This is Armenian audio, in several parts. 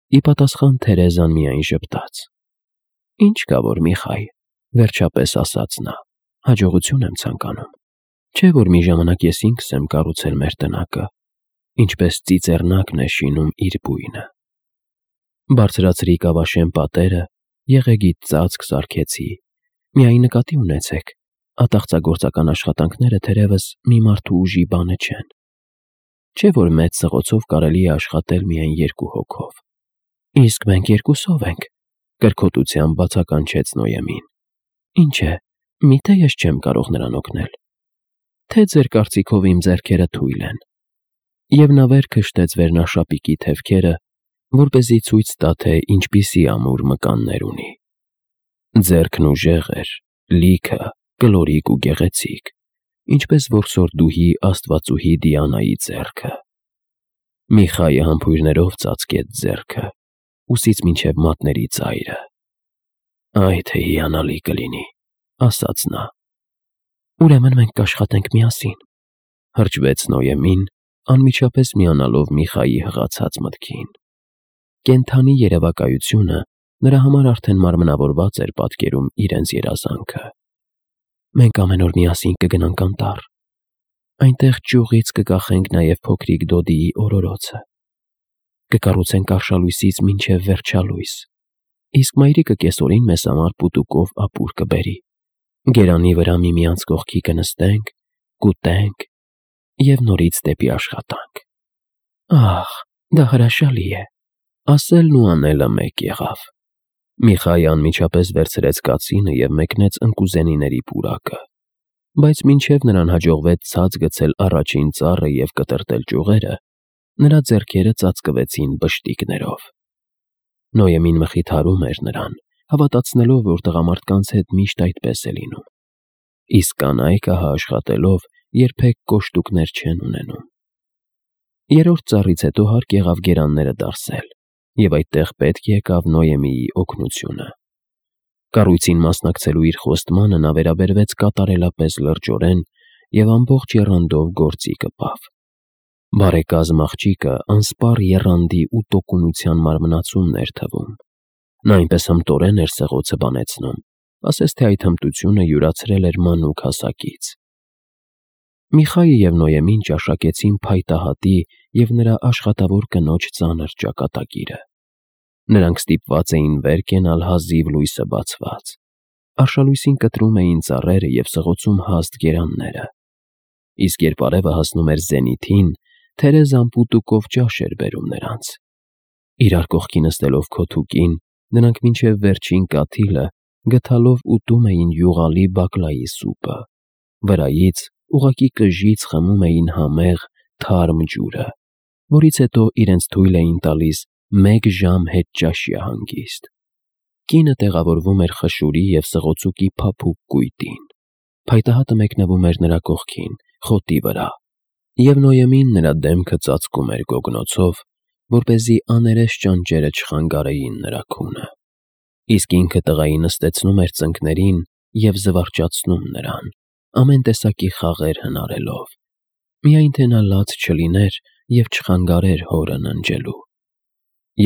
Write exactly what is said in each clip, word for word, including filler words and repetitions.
Ի պատասխան Թերեզան միայն ժպտաց։ Ինչ կա որ Միխայ, վերջապես ասաց նա, հաջողություն եմ ցանկանում։ Չէ որ մի ժամանակ ես ինքս եմ կառուցել մեր տնակը, ինչպես ծիծեռնակն է շինում իր բույնը։ Բարձրացրի կավաշեն պատերը, եղեգիտ ծածկ սարքեցի։ Միայն նկատի ունեցեք, ատաղծագործական աշխատանքները թերևս մի մարդու ուժի բանը չեն։ Չէ որ մեծ սղոցով կարելի է աշխատել միայն երկու հոգով։ Իսկ մենք երկուսով ենք, կրկոտությամբ բացականչեց Նոյեմին։ Ինչ է, միթե ես չեմ կարող նրան օգնել։ Թե ձեր կարծիքով իմ ձեռքերը թույլ են։ Եվ նա վեր քշտեց վերնաշապիկի թևքերը, որպեսզի ցույց տա, թե ինչպիսի ամուր մկաններ ունի։ Ձեռքն ուժեղ էր, լիքը, կլորիկ ու գեղեցիկ, ինչպես որ սորդուհի աստվածուհի Դիանայի ձեռքը։ Միխայը համբույրներով ծածկեց ձեռքը, ուսից մինչև մատների ծայրը։ Այ թե հիանալի կլինի, ասաց նա։ Ուրեմն մենք կաշխատենք միասին, հրճվեց Նոյեմին, անմիջապես միանալով Միխայի հղացած մտքին։ Կենդանի երևակայությունը նրա համար արդեն մարմնավորված էր պատկերում իրենց երազանքը։ Մենք ամեն օր միասին կգնանք անտառ։ Այնտեղ ճյուղից կկախենք նաև փոքրիկ Դոդիի օրորոցը։ Կկառուցենք արշալույսից մինչև վերջալույս, իսկ մայրիկը կեսօրին մեզ համար պուտուկով ապուր կբերի։ Գերանի վրա միմյանց կողքի կնստենք, կուտենք և նորից դեպի աշխատանք։ Ահ, դա հրաշալի է, ասելն ու անելը մեկ եղավ։ Միխայը անմիջապես վերցրեց կացինը և մեկնեց ընկուզենիների պուրակը, բայց մինչև նրան հաջողվեց ցած գցել առաջին ծառը և կտրատել ճյուղերը, նրա ձեռքերը ծածկվեցին բշտիկներով։ Նոյեմին մխիթարում էր նրան, հավատացնելով, որ տղամարդկանց հետ միշտ այդպես է լինում։ Իսկ կանայքը աշխատելով երբեք կոշտուկներ չեն ունենում։ Երրորդ ծառից հետո հարկ եղավ գերանները դարսել, և այդտեղ պետք եկավ Նոյեմիի օգնությունը։ Կառույցին մասնակցելու իր խոստմանը նա վերաբերվեց կատարելապես լրջորեն և ամբողջ եռանդով գործի կպավ։ Բարեկազմ աղջիկը անսպառ եռանդի ու տոկունության մարմնացումն էր թվում։ Նա այնպես հմտորեն էր սղոցը բանեցնում, ասես թե այդ հմտությունը յուրացրել էր մանուկ հասակից։ Միխայը և Նոյեմին ճաշակեցին փայտահատի և նրա աշխատավոր կնոջ ծանր ճակատագիրը։ Նրանք ստիպված էին վեր կենալ հազիվ լույսը բացված։ Արշալույսին կտրում էին ծառերը և սղոցում հաստ գերանները։ Իսկ երբ արևը հասնում էր զենիթին, Թերեզան պուտուկով ճաշ էր բերում նրանց։ Իրար կողքի նստելով քոթուկին, նրանք մինչև վերջին կաթիլը գդալով ուտում էին յուղալի բակլայի սուպը, վրայից ուղղակի կժից խմում էին համեղ, թարմ ջուրը, որից հետո իրենց թույլ էին տալիս մեկ ժամ հետճաշյա հանգիստ։ Կինը տեղավորվում էր խշուրի և սղոցուկի փափուկ կույտին։ Փայտահատը մեկնվում էր նրա կողքին, խոտի վրա, և Նոյեմին նրա դեմքը ծածկում էր գոգնոցով, որպեսզի աներես ճանճերը չխանգարեին նրա քունը։ Իսկ ինքը տղային նստեցնում էր ծնկներին և զվարճացնում նրան, ամեն տեսակի խաղեր հնարելով, միայն թե նա լաց չլիներ և չխանգարեր հորը ննջելու։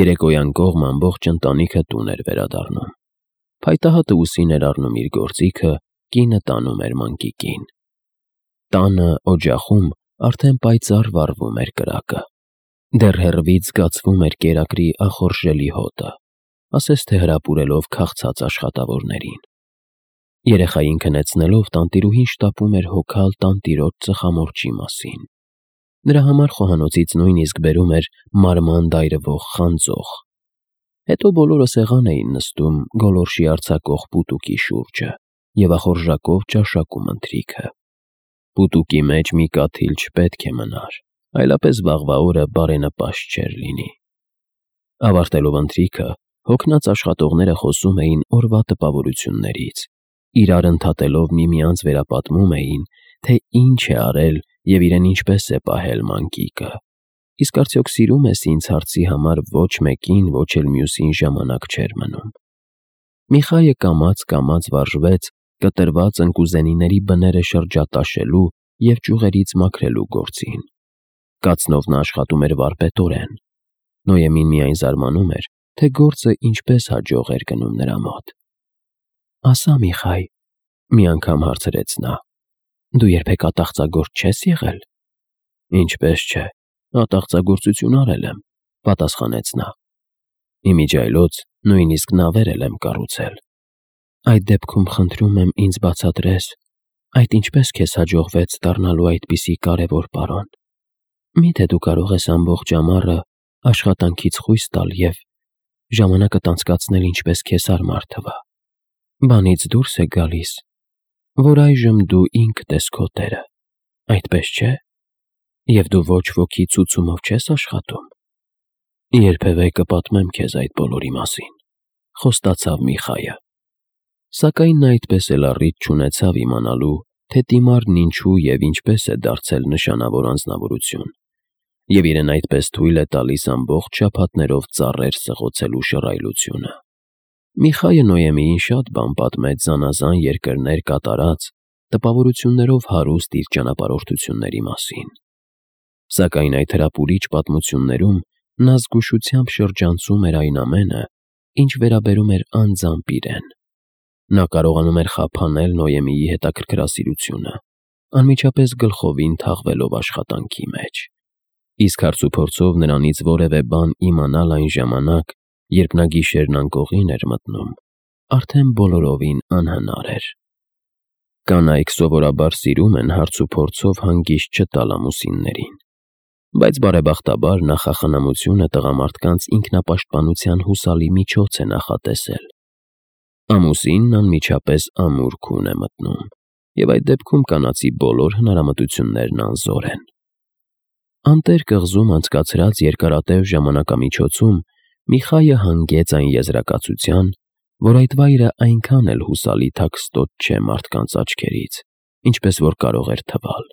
Երեկոյան կողմ ամբողջ ընտանիքը տուն էր վերադառնում։ Փայտահատը ուսին էր առնում իր գործիքը, կինը տանում էր մանկիկին։ Տանը օջախում արդեն պայծառ վառվում էր կրակը։ Դեռ հեռվից զգացվում էր կերակրի ախորժելի հոտը, ասես թե հրապուրելով քաղցած աշխատավորներին։ Երեխային քնեցնելով տանտիրուհին շտապում էր հոգալ տանտիրոջ ծխամորճի մասին։ Նրա համար խոհանոցից նույնիսկ բերում էր մարման դայրվող խանձող։ Հետո բոլորը սեղան էին նստում գոլորշի արձակող պուտուկի շուրջը և ախորժակով ճաշակում ընթրիքը։ Պուտուկի մեջ մի կաթիլ չպետք է մնար, այլապես վաղվա օրը բարենպաստ չէր լինի։ Ավարտելով ընթրիքը, հոգնած աշխատողները խոսում էին օրվա տպավորություններից, իրար ընդհատելով միմյանց վերապատմում էին, թե ինչ է արել և իրեն ինչպես է պահել մանկիկը։ Իսկ արդյոք սիրում ես ինձ հարցի համար ոչ մեկին, ոչ էլ մյուսին ժամանակ չէր մնում։ Միխայը կամաց-կամաց վարժվեց կտրված ընկուզենիների բները շրջատաշելու և ճյուղերից մաքրելու գործին։ Կացնով նա աշխատում էր վարպետորեն։ Նոյեմին միայն զարմանում էր, թե գործը ինչպես հաջող էր գնում նրա մոտ։ «Ասա, Միխայ», մի անգամ հարցրեց նա, «դու երբեք ատաղծագործ չես եղել»։ «Ինչպես չէ, ատաղծագործություն արել եմ», պատասխանեց նա։ «Իմիջիայլոց նույնիսկ նավեր էլ եմ կառուցել»։ «Այդ դեպքում խնդրում եմ ինձ բացատրես, այդ ինչպես քեզ հաջողվեց դառնալու այդպիսի կարևոր պարոն։ Մի՞թե դու կարող ես ամբողջ ամառը աշխատանքից խույս տալ և ժամանակդ անցկացնել ինչպես քեզ հարմար թվա։ Բանից դուրս է գալիս, որ այժմ դու ինքդ ես քո տերը, այդպես չէ՞, և դու ոչ ոքի ցուցումով չես աշխատում»։ «Երբևէ կպատմեմ քեզ այդ բոլորի մասին», խոստացավ Միխայը։ Սակայն նա այդպես էլ առիթ չունեցավ իմանալու, թե Տիմարն ինչու և ինչպես է դարձել նշանավոր անձնավորություն, և իրեն այդպես թույլ է տալիս ամբողջ շաբաթներով ծառեր սղոցելու շռայլությունը։ Միխայը Նոյեմիին շատ բան պատմեց զանազան երկրներ կատարած, տպավորություններով հարուստ իր ճանապարհորդությունների մասին։ Սակայն այդ հրապուրիչ պատմություններում նա զգուշությամբ շրջանցում էր այն ամենը, ինչ վերաբերում էր անձամբ իրեն։ Նա կարողանում էր խափանել Նոյեմիի հետաքրքրասիրությունը, անմիջապես գլխովին թաղվելով աշխատանքի մեջ, իսկ հարցուփորձով նրանից որևէ բան իմանալ այն ժամանակ, երբ նա գիշերն անկողին էր մտնում, արդեն բոլորովին անհնար էր։ Կանայք սովորաբար սիրում են հարցուփորձով հանգիստ չտալ ամուսիններին, բայց բարեբախտաբար նախախնամությունը տղամարդկանց ինքնապաշտպանության հուսալի միջոց է նախատեսել։ Ամուսինն անմիջապես ամուր քուն է մտնում, և այդ դեպքում կանացի բոլոր հնարամտություններն անզոր են։ Անտեր կղզում անցկացրած երկարատև ժամանակամիջոցում Միխայը հանգեց այն եզրակացության, որ այդ վայրը այնքան էլ հուսալի թաքստոտ չէ մարդկանց աչքերից, ինչպես որ կարող էր թվալ։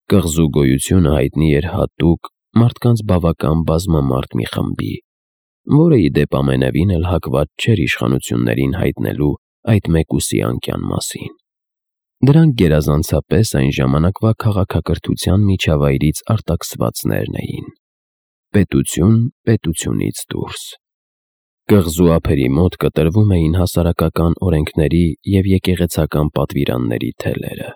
Կղզու գոյությունը հայտնի էր հատուկ, մարդկանց բավական բազմամարդ մի խմբի, որը ի դեպ ամենևին էլ հակված չէր իշխանություններին հայտնելու այդ մեկուսի անկյան մասին։ Դրանք գերազանցապես այն ժամանակվա քաղաքակրթության միջավայրից արտաքսվածներն էին։ Պետություն պետությունից դուրս։ Կղզու ափերի մոտ կտրվում էին հասարակական օրենքների և եկեղեցական պատվիրանների թելերը։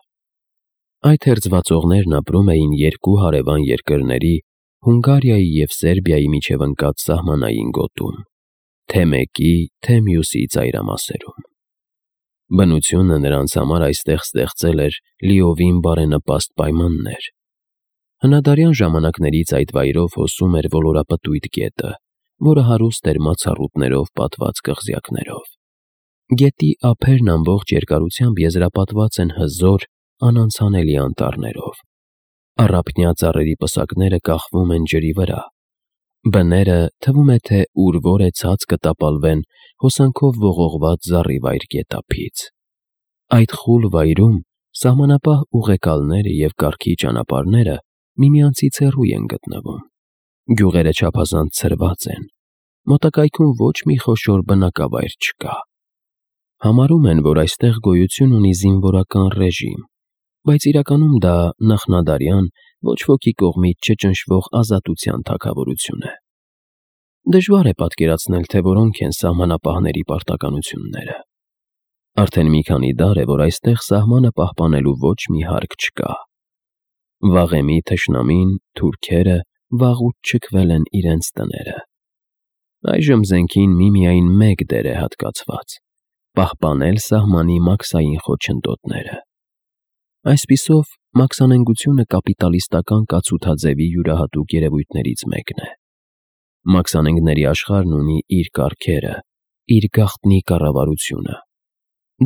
Այդ հերձվածողներն ապրում էին երկու հարևան երկրների՝ Հունգարիայի և Սերբիայի միջև ընկած սահմանային գոտում, թե մեկի, թե մյուսի ծայրամասերում։ Բնությունը նրանց համար այստեղ ստեղծել էր լիովին բարենպաստ պայմաններ։ Հնադարյան ժամանակներից այդ վայրով հոսում էր ոլորապտույտ գետը, որը հարուստ էր մացառուտներով պատված կղզյակներով։ Գետի ափերն ամբողջ երկարությամբ եզրապատված են հզոր, անանցանելի անտառներով։ Առափնյա ծառերի պսակները կախվում են ջրի վրա։ Բները թվում է, թե ուր որ է ցած կտապալվեն հոսանքով ողողված զառիվայր գետափից։ Այդ խուլ վայրում սահմանապահ ուղեկալները և կարգի ճանապարհները միմյանցից հեռու են գտնվում։ Գյուղերը չափազանց ցրված են։ Մոտակայքում ոչ մի խոշոր բնակավայր չկա։ Համարում են, որ այստեղ գոյություն ունի զինվորական ռեժիմ, բայց իրականում դա նախնադարյան, ոչ ոքի կողմից չճնշվող ազատության թագավորություն է։ Դժվար է պատկերացնել, թե որոնք են սահմանապահների պարտականությունները։ Արդեն մի քանի դար է, որ այստեղ սահմանը պահպանելու ոչ մի հարկ չկա։ Վաղեմի թշնամին, թուրքերը, վաղուց շքվել են իրենց տները։ Այժմ զենքին միմիայն մեկ դեր է հատկացված՝ պահպանել սահմանի մաքսային խոչընդոտները։ Այսպիսով, մաքսանենգությունը կապիտալիստական կացութաձևի յուրահատուկ երևույթներից մեկն է։ Մաքսանենգների աշխարհն ունի իր կարգերը, իր գաղտնի կառավարությունը։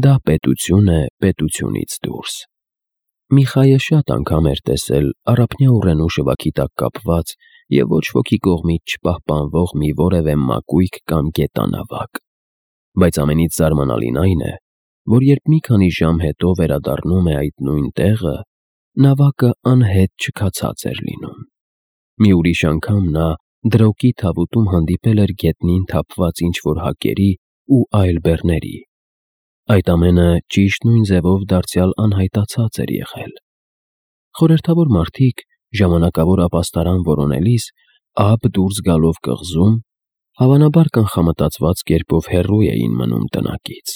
Դա պետություն է պետությունից դուրս։ Միխայը շատ անգամ էր տեսել առափնյա ուռենու շվաքի տակ կապված և ոչ ոքի կողմից չպահպանվող մի որևէ մակույկ կամ գետանավակ։ Բայց ամենից զարմանալին այն է, որ երբ մի քանի ժամ հետո վերադառնում է այդ նույն տեղը, նավակը անհետ չքացած էր լինում։ Մի ուրիշ անգամ նա դրոկի թավուտում հանդիպել էր գետնին թափված ինչ-որ հակերի ու այլ բեռների։ Այդ ամենը ճիշտ նույն ձևով դարձյալ անհայտացած էր եղել։ Խորհրդավոր մարդիկ, ժամանակավոր ապաստարան որոնելիս, ափ դուրս գալով կղզում, հավանաբար կանխամտածված կերպով հեռու էին մնում տնակից։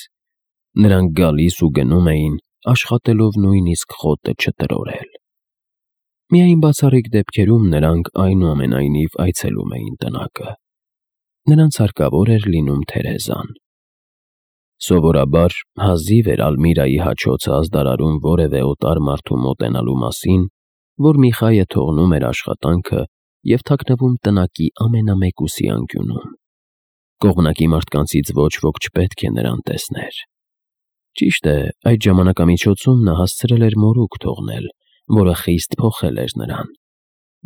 Նրանք գալիս ու գնում էին, աշխատելով նույնիսկ խոտը չտրորել։ Միայն բացառիկ դեպքերում նրանք այնուամենայնիվ այցելում էին տնակը։ Նրանց հարկավոր էր լինում Թերեզան։ Սովորաբար հազիվ էր Ալմիրայի հաչոցը ազդարարում որևէ օտար մարդու մոտենալու մասին, որ Միխայը թողնում էր աշխատանքը և թաքնվում տնակի ամենամեկուսի անկյունում։ Կողմնակի մարդկանցից ոչ ոք չպետք է նրան տեսներ։ Ճիշտ է, այդ ժամանակամիջոցում նա հասցրել էր մորուք թողնել, որը խիստ փոխել էր նրան,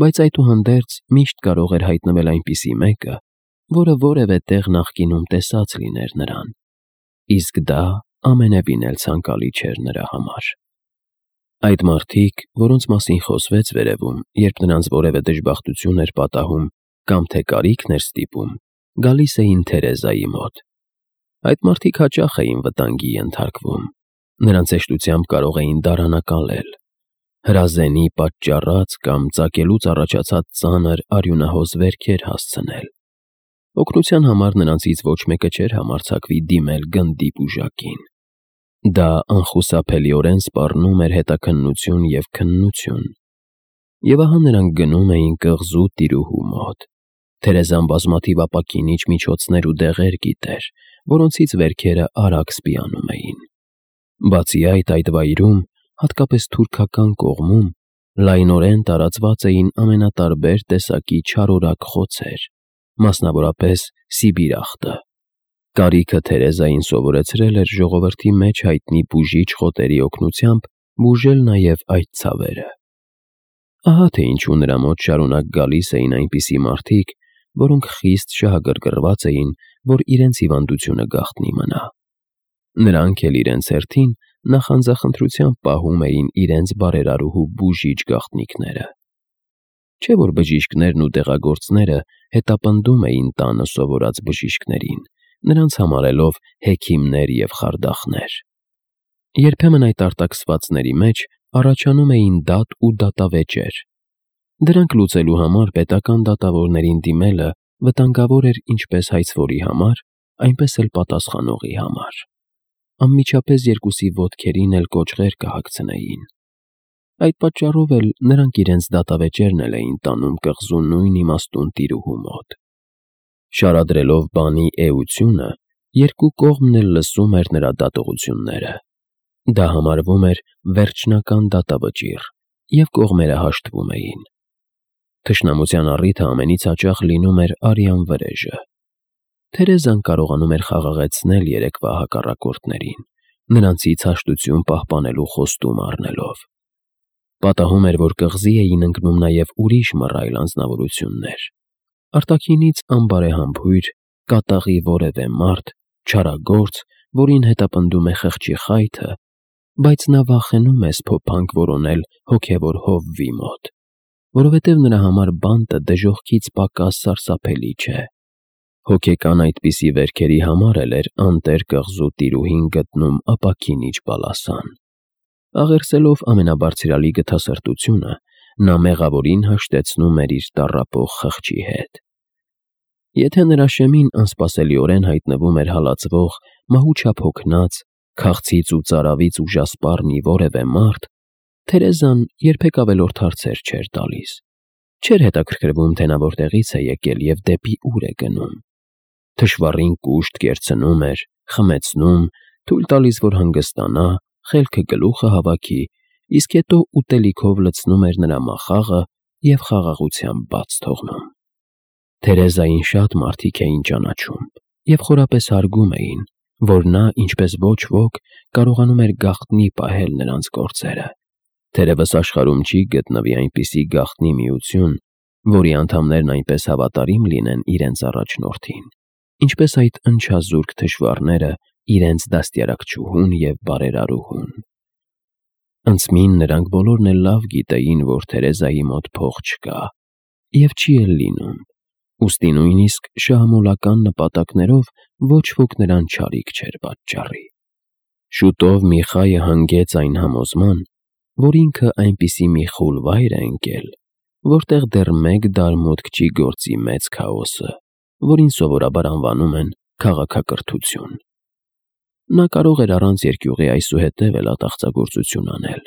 բայց այդուհանդերձ միշտ կարող էր հայտնվել այնպիսի մեկը, որը որևէ տեղ նախկինում տեսած լիներ նրան, իսկ դա ամենևին էլ ցանկալի չէր նրա համար։ Այդ մարդիկ, որոնց մասին խոսվեց վերևում, երբ նրանց որևէ դժբախտություն էր պատահում կամ թե կարիքն էր ստիպում, գալիս էին Թերեզայի մոտ։ Այդ մարդիկ հաճախ էին վտանգի ենթարկվում, նրանց հեշտությամբ կարող էին դարանակալել, հրազենի պատճառած կամ ծակելուց առաջացած ծանր արյունահոս վերքեր հասցնել։ Օգնության համար նրանցից ոչ մեկը չէր համարձակվի դիմել գնդի բուժակին։ Դա անխուսափելիորեն սպառնում էր հետաքննություն և քննություն։ Եվ ահա նրանք գնում էին կղզու տիրուհու մոտ։ Թերեզան բազմաթիվ ապակինիչ միջոցներ ու դեղեր գիտեր, որոնցից վերքերը արագ սպիանում էին։ Բացի այդ, այդ վայրում, հատկապես թուրքական կողմում, լայնորեն տարածված էին ամենատարբեր տեսակի չարորակ խոցեր, մասնավորապես սիբիրախտը։ Կարիքը Թերեզային սովորեցրել էր ժողովրդի մեջ հայտնի բուժիչ խոտերի օգնությամբ բուժել նաև այդ ցավերը։ Ահա թե ինչու նրա մոտ շարունակ գալիս էին այնպիսի մարդիկ, որոնք խիստ շահագրգռված էին, որ իրենց հիվանդությունը գաղտնի մնա։ Նրանք էլ իրենց հերթին նախանձախնդրությամբ պահում էին իրենց բարերարուհու բուժիչ գաղտնիքները։ Չէ՞ որ բժիշկներն ու դեղագործները հետապնդում էին տանը սովորած բժիշկներին, նրանց համարելով հեքիմներ և խարդախներ։ Երբեմն այդ արտաքսվածների մեջ առաջանում էին դատ ու դատավեճեր։ Դրանք լուծելու համար պետական դատավորներին դիմելը վտանգավոր էր ինչպես հայցվորի համար, այնպես էլ պատասխանողի համար։ Անմիջապես երկուսի ոտքերին էլ կոճղեր կհագցնեին։ Այդ պատճառով էլ նրանք իրենց դատավեճերն էլ էին տանում կղզու նույն իմաստուն տիրուհու մոտ։ Շարադրելով բանի էությունը, երկու կողմն էլ լսում էր նրա դատողությունները։ Դա համարվում էր վերջնական դատավճիռ, և կողմերը հաշտվում էին։ Թշնամության առիթը ամենից հաճախ լինում էր արյան վրեժը։ Թերեզան կարողանում էր խաղաղեցնել երեկվա հակառակորդներին, նրանցից հաշտություն պահպանելու խոստում առնելով։ Պատահում էր, որ կղզի էին ընկնում նաև ուրիշ մռայլ անձնավորություններ։ Արտաքինից անբարեհամբույր, կատաղի որևէ մարդ, չարագործ, որին հետապնդում է խղճի խայթը, բայց նա վախենում է սփոփանք որոնել հոգևոր հովվի մոտ, որովհետև նրա համար բանտը դժոխքից պակաս սարսափելի չէ։ Հոգեկան այդպիսի վերքերի համար էլ էր անտեր կղզու տիրուհին գտնում ապակինիչ բալասան։ Աղերսելով ամենաբարձրալի գթասրտությունը, նա մեղավորին հաշտեցնում էր իր տառապող խղճի հետ։ Եթե նրա շեմին անսպասելիորեն հայտնվում էր հալածվող, մահուչափ հոգնած, քաղցից ու ծարավից ուժասպառ մի որևէ մարդ, Թերեզան երբեք ավելորդ հարցեր չէր տալիս։ Չէր հետաքրքրվում, թե նա որտեղից է եկել և դեպի ուր է գնում։ Թշվառին կուշտ կերցնում էր, խմեցնում, թույլ տալիս, որ հանգստանա, խելքը գլուխը հավաքի, իսկ հետո ուտելիքով լցնում էր նրա մախաղը և խաղաղությամբ բաց թողնում։ Թերեզային շատ մարդիկ էին ճանաչում և խորապես հարգում էին, որ նա, ինչպես ոչ ոք, կարողանում էր գաղտնի պահել նրանց գործերը։ Թերևս աշխարհում չի գտնվի այնպիսի գաղտնի միություն, որի անդամներն այնպես հավատարիմ լինեն իրենց առաջնորդին, ինչպես այդ ընչազուրկ թշվառները իրենց դաստիարակչուհուն և բարերարուհուն։ Անցմին նրանք բոլորն էլ լավ գիտեին, որ Թերեզայի մոտ փող չկա, և չի էլ լինում, ուստի նույնիսկ շահամոլական նպատակներով ոչ ոք նրան չարիք չէր պատճառի։ Շուտով Միխայը հանգեց այն համոզման, որ ինքը այնպիսի մի խուլ վայր է ընկել, որտեղ դեռ մեկ դարմոտք չի գործի մեծ քաոսը, որին սովորաբար անվանում են քաղաքակրթություն։ Նա կարող էր առանց երկյուղի այսուհետև էլ ատաղծագործություն անել,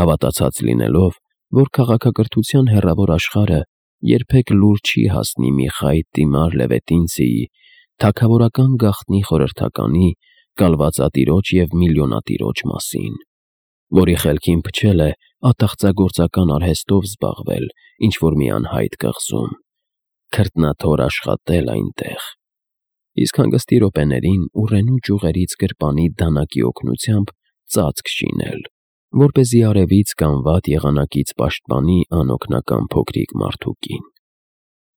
հավատացած լինելով, որ քաղաքակրթության հեռավոր աշխարհը երբեք լուր չի հասնի Միխայ Տիմար Լևետինցիի թագավորական գաղտնի խորհրդականի, կալվածատիրոջ և միլիոնատիրոջ մասին, որի խելքին փչել է ատաղծագործական արհեստով զբաղվել ինչ-որ մի անհայտ կղզում, քրտնաթոր աշխատել այնտեղ, իսկ հանգստի րոպեներին ուռենու ճյուղերից գրպանի դանակի օգնությամբ ծածկ շինել, որպեսզի արևից կամ վատ եղանակից պաշտպանի անօգնական փոքրիկ մարդուկին,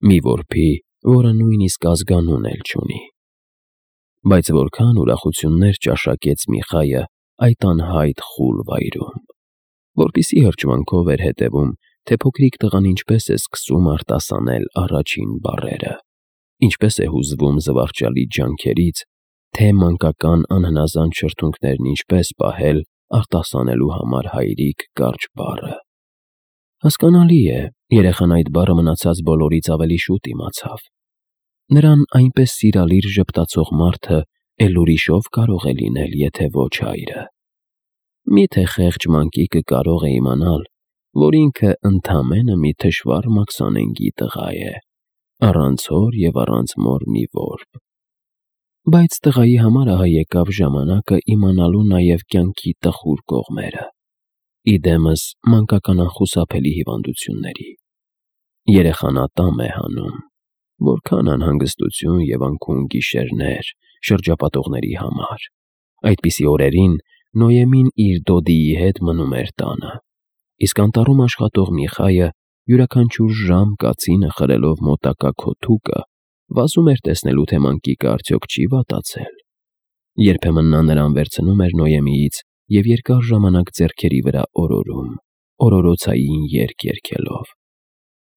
մի որբի, որը նույնիսկ ազգանուն էլ չունի։ Բայց որքան ուրախություններ ճաշակեց Միխայը այդ անհայտ խուլ վայրում, որպեսզի հրճվանքով էր հետևում, թե փոքրիկ տղան ինչպես է սկսում արտասանել առաջին բառերը, ինչպես է հուզվում զվարճալի ջանքերից, թե մանկական անհնազանդ շրթունքներն ինչպես պահել արտասանելու համար հայրիկ կարճ բառը։ Հասկանալի է, երեխան այդ բառը մնացած բոլորից ավելի շուտ իմացավ։ Նրան այնպես սիրալիր ժպտացող մարդը էլ ուրիշով կարող է լինել, եթե ոչ հայրը։ Միթե խեղճ մանկիկը կարող է իմանալ, որ ինքը ընդամենը մի թշվառ մաքսանենգի տղա է, առանց հոր և առանց մոր մի որբ։ Բայց տղայի համար ահա եկավ ժամանակը իմանալու նաև կյանքի տխուր կողմերը, ի դեմս մանկական անխուսափելի հիվանդությունների։ Երեխան ատամ է հանում, որքան անհանգստություն և անքուն գիշերներ շրջապատողների համար։ Այդպիսի օրերին Նոյեմին իր դոդիի հետ մնում էր տանը, իսկ անտառում աշխատող Միխայը յուրաքանչյուր ժամ կացինը խրելով մոտակա քոթուկը վազում էր տեսնելու, թե մանկիկը արդյոք չի վատացել։ Երբեմն նա նրան վերցնում էր Նոյեմիից և երկար ժամանակ ձեռքերի վրա օրորում, օրորոցային երգ երգելով.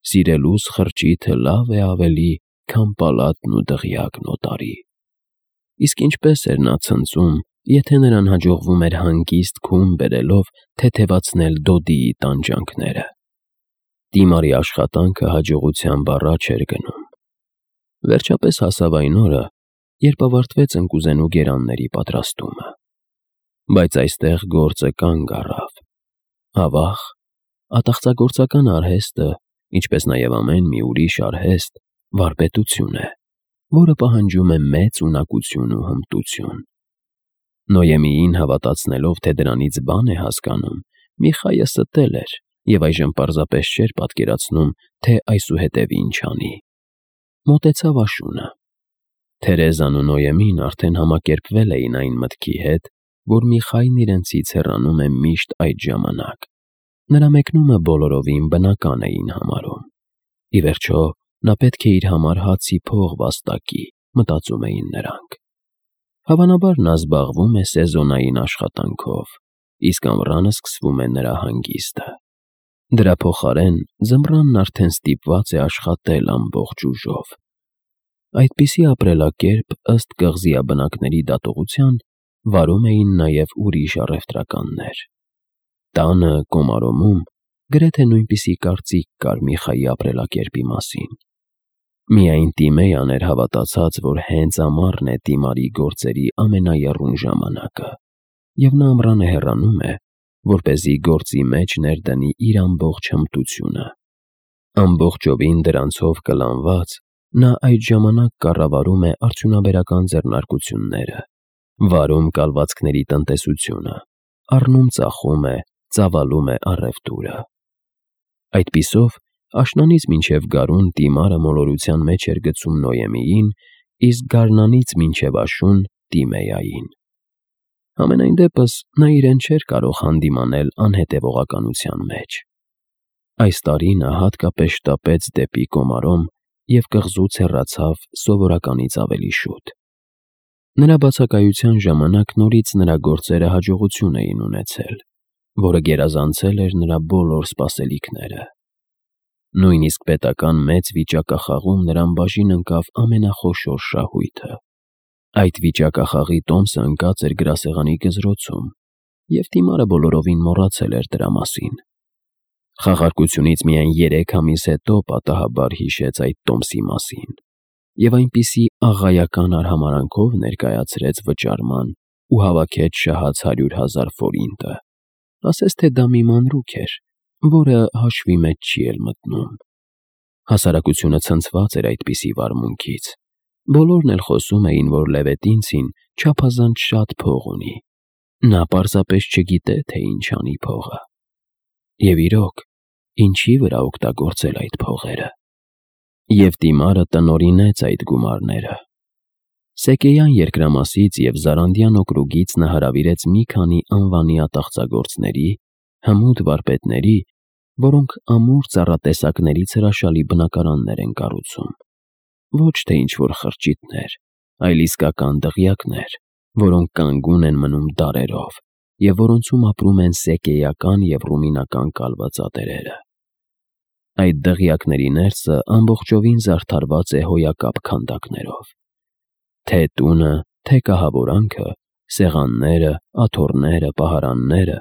«Սիրելուս խրճիթը լավ է ավելի, քան պալատն ու դղյակն օտարի»։ Իսկ ինչպես էր նա ցնծում, եթե նրան հաջողվում էր հանգիստ քուն բերելով թեթևացնել դոդիի տանջանքները։ Տիմարի աշխատանքը հաջողությամբ առաջ էր գնում։ Վերջապես հասավ այն օրը, երբ ավարտվեց ընկուզենու գերանների պատրաստումը։ Բայց այստեղ գործը կանգ առավ։ Ավաղ, ատաղծագործական արհեստը, ինչպես նաև ամեն մի ուրիշ արհեստ, վարպետություն է, որը պահանջում է մեծ ունակություն ու հմտություն։ Նոյեմիին հավատացնելով, թե դրանից բան է հասկանում, Միխայը ստել էր և այժմ պարզապես չէր պատկերացնում, թե այսուհետև ինչ անի։ Մոտեցավ աշունը։ Թերեզան ու Նոյեմին արդեն համակերպվել էին այն մտքի հետ, որ Միխայն իրենցից հեռանում է միշտ այդ ժամանակ։ Նրա մեկնումը բոլորովին բնական էին համարում։ Ի վերջո, նա պետք է իր համար հացի փող վաստակի, մտածում էին նրանք։ Հավանաբար նա զբաղվում է սեզոնային աշխատանքով, իսկ ամռանը սկսվում է նրա հանգիստը։ Դրա փոխարեն ձմռանն արդեն ստիպված է աշխատել ամբողջ ուժով։ Այդպիսի ապրելակերպ, ըստ կղզիաբնակների դատողության, վարում էին նաև ուրիշ առևտրականներ։ Տանը, Կոմարոմում, գրեթե նույնպիսի կարծիք կար Միխայի ապրելակերպի մասին։ Միայն Տիմեյան էր հավատացած, որ հենց ամառն է Տիմարի գործերի ամենաեռուն ժամանակը, և նա ամռանը հեռանում է, որպեսզի գործի մեջ ներդնի իր ամբողջ հմտությունը։ Ամբողջովին դրանցով կլանված, նա այդ ժամանակ կառավարում է արդյունաբերական ձեռնարկությունները, վարում կալվածքների տնտեսությունը, առնում-ծախում է, ծավալում է առևտուրը։ Այդպիսով, աշնանից մինչև գարուն Տիմարը մոլորության մեջ էր գցում Նոյեմիին, իսկ գարնանից մինչև աշուն Տիմեյային։ Համենայն դեպս, նա իրեն չէր կարող հանդիմանել անհետևողականության մեջ։ Այս տարի նա հատկապես շտապեց դեպի Կոմարոմ և կղզուց հեռացավ սովորականից ավելի շուտ։ Նրա բացակայության ժամանակ նորից նրա գործերը հաջողություն էին ունեցել, որը գերազանցել էր նրա բոլոր սպասելիքները։ Նույնիսկ պետական մեծ վիճակախաղում նրան բաժին ընկավ ամենախոշոր շահույթը։ Այդ վիճակախաղի տոմսը ընկած էր գրասեղանի գզրոցում, և Տիմարը բոլորովին մոռացել էր դրա մասին։ Խաղարկությունից միայն երեք ամիս հետո պատահաբար հիշեց այդ տոմսի մասին և այնպիսի աղայական արհամարհանքով ներկայացրեց վճարման ու հավաքեց շահած հարյուր հազար ֆորինտը, ասես թե դա մի մանրուք էր, որը հաշվի մեջ չի էլ մտնում։ Հասարակությունը ցնցված էր այդպիսի վարմունքից, բոլորն էլ խոսում էին, որ Լևետինցին չափազանց շատ փող ունի, նա պարզապես չգիտե, թե ինչ անի փողը։ Եվ իրոք, ինչի վրա օգտագործել այդ փողերը։ Եվ դիմարը տնօրինեց այդ գումարները։ Սեկեյան երկրամասից և Զարանդյան օկրուգից նա հրավիրեց մի քանի անվանի ատաղծագործների, հմուտ վարպետների, որոնք ամուր ծառատեսակներից հրաշալի բնակարաններ են կառուցում, ոչ թե ինչ-որ խրճիթներ, այլ իսկական դղյակներ, որոնք կանգուն են մնում դարերով և որոնցում ապրում են սեկեյական և ռումինական կալվածատերերը։ Այդ դղյակների ներսը ամբողջովին զարդարված է հոյակապ քանդակներով։ Թե տունը, թե կահավորանքը, սեղանները, աթոռները, պահարանները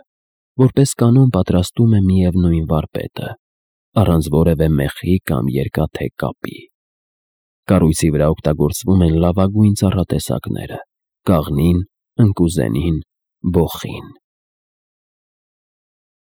որպես կանոն պատրաստում է միևնույն վարպետը, առանց որևէ մեխի կամ երկաթե կապի։ Կառույցի վրա օգտագործվում են լավագույն ծառատեսակները՝ կաղնին, ընկուզենին, բոխին։